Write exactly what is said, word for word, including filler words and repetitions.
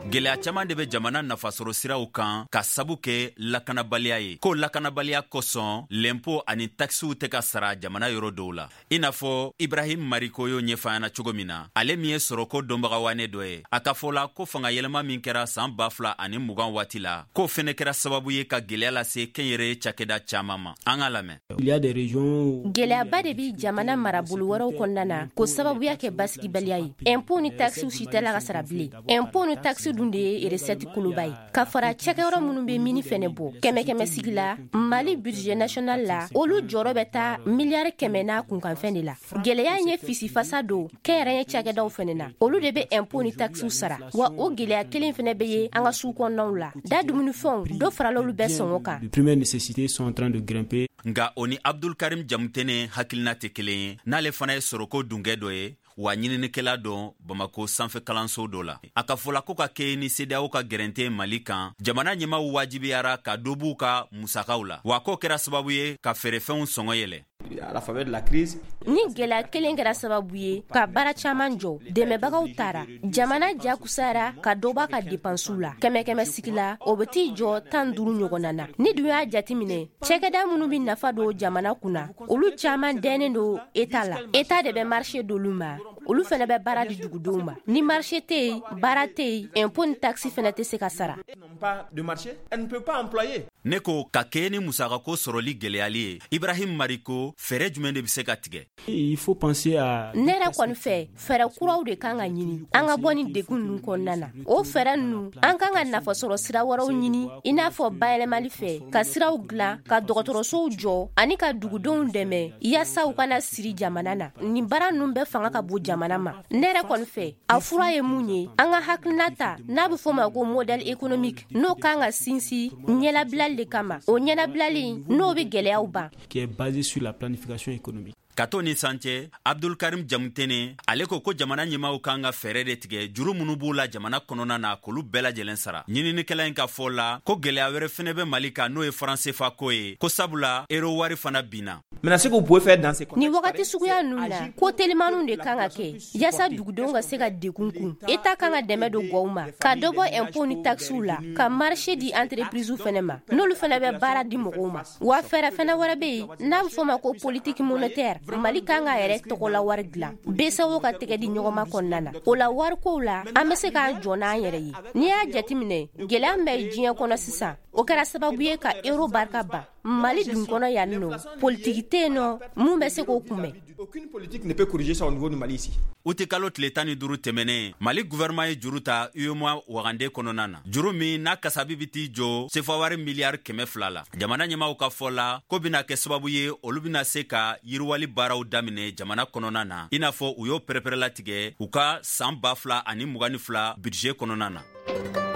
Gɛlɛya caman de bɛ jamana nafasɔrɔ siraw kan ka sabu kɛ lakanabaliya ye, ko lakanabaliya kosɔn lɛnpo ani takisiw tɛ ka sara jamana yɔrɔ dɔw la. I n'a fɔ Ibrahim Mariko y'o ɲɛfɔ an ɲɛna cogo min na, ale min ye sɔrɔko dɔnbagawane dɔ ye, a ka fɔ la ko fanga yɛlɛma min kɛra san ba fila ani mugan waati la, k'o fɛnɛ kɛra sababu ye ka gwɛlɛya lase kɛnyɛrɛye cakɛda caman ma. An ka lamɛn. Gɛlɛyaba de bi jamana marabolo wɛrɛw kɔnɔna na ko sababuya kɛ basigibaliya ye. Impôt ni taxes si tɛ la ka sara bilen. Impôt ni taxe dun de ye recette koloba ye, ka fara cakɛyɔrɔ minnu bɛ mini fɛnɛ bɔ. Kɛmɛ kɛmɛ sigi la, Mali budget national la, olu jɔyɔrɔ bɛ taa miliyari kɛmɛ n'a kunkanfɛn de la. Gɛlɛya in ye fisifasa don kɛnyɛrɛye cakɛdaw fɛnɛ na. Olu de bɛ impôt ni taxes sara, wa o gɛlɛya kelen fɛnɛ bɛ ye an ka sugu kɔnɔnaw la. Da dumunifɛnw dɔ farala olu bɛɛ sɔngɔ kan. Nka o ni Abdulkarim Jamutene hakilina tɛ kelen ye, n'ale fana ye sɔrɔko dunkɛ dɔ ye, wa ɲininikɛla dɔn Bamako sanfɛ kalanso dɔ la. A ka fɔla ko ka kɛ ni CEDEAO ka gɛrɛnte Mali kan, jamana ɲɛmaw wajibiyara ka dɔ b'u ka musakaw la, wa k'o kɛra sababu ye ka feerefɛnw sɔngɔ yɛlɛ. Ni gɛlɛya kelen kɛra sababu ye ka baara caman jɔ, dɛmɛbagaw taara, jamana jakusayara ka dɔ b'a ka depansiw la. Kɛmɛ kɛmɛ sigi la, o bɛ t'i jɔ tan duuru ɲɔgɔnna na. Ni dun y'a jateminɛ, cakɛda minnu bɛ nafa don jamana kunna, olu caman dɛnnen don État la. État de bɛ marché d'olu ma, olu fɛnɛ bɛ baara di dugudenw ma. Ni marché tɛ yen, baara tɛ yen, impôt ni taxe fɛnɛ tɛ se ka sara. Ne ko ka kɛ ni musakako sɔrɔli gɛlɛyali ye, Ibrahim Mariko, fɛɛrɛ jumɛn de bɛ se ka tigɛ? Ne yɛrɛ kɔni fɛ, fɛɛrɛ kuraw de kan ka ɲini an ka bɔ ni degun ninnu kɔnɔna na. O fɛɛrɛ ninnu, an kan ka nafasɔrɔ sira wɛrɛw ɲini, i n'a fɔ bayɛlɛmali fɛ, ka siraw dilan, ka dɔgɔtɔrɔsow jɔ ani ka dugudenw dɛmɛ yaasa u kana siri jamana na. Nin baara ninnu bɛɛ fanga ka bon jamana ma. Ne yɛrɛ kɔni fɛ, a fura ye mun ye? An ka hakilina ta n'a bɛ fɔ o ma ko modèle économique, n'o kan ka sinsin ɲɛlabilali de kama. O ɲɛnabilali, n'o bɛ gɛlɛyaw ban. Ka to ni san cɛ, Abdulkarim Jamutene ale ko ko jamana ɲɛmaw kan ka fɛɛrɛ de tigɛ juru minnu b'u la jamana kɔnɔna na, k'olu bɛɛ lajɛlen sara. Ɲininikɛla in ka fɔ la ko gɛlɛya wɛrɛ fɛnɛ bɛ Mali kan, n'o ye franc C F A ko ye, ko sabula euro wari fana binna. Ni wagati suguya ninnu na, ko telimaniw de kan ka kɛ yaasa dugudenw ka se ka degun kun. État kan ka dɛmɛ don gɔw ma, ka dɔ bɔ impôt ni taxes la, ka marché di entreprise fɛnɛ ma, n'olu fɛnɛ bɛ baara di mɔgɔw ma. Wa fɛɛrɛ fɛnɛ wɛrɛ bɛ yen n'a bɛ fɔ o ma ko politique monétaire. Mali kan k'a yɛrɛ tɔgɔla wari dilan B C E A O ka tɛgɛ di ɲɔgɔnma kɔnɔna na. O la, warikow la, an bɛ se k'an jɔ n'an yɛrɛ ye. N'i y'a jateminɛ, gɛlɛya min bɛ diɲɛ kɔnɔ sisan, o kɛra sababu ye ka euro barika ban. Mali dun kɔnɔ yan nɔ, politiki tɛ yen nɔ mun bɛ se k'o kunbɛn. Uti kalo tile tan ni duuru tɛmɛnen, Mali gouvernement ye juru ta UEMOA wagande kɔnɔna na, juru min n'a kasabi bi t'i jɔ sefa wari miliyari kɛmɛ fila la. Jamana ɲɛmaw ka fɔ la ko bɛna kɛ sababu ye, olu bɛna se ka yiriwali baaraw daminɛ jamana kɔnɔna na, i n'a fɔ u y'o pɛrɛpɛrɛlatigɛ u ka san ba fila ani mugan ni fila budget kɔnɔna na.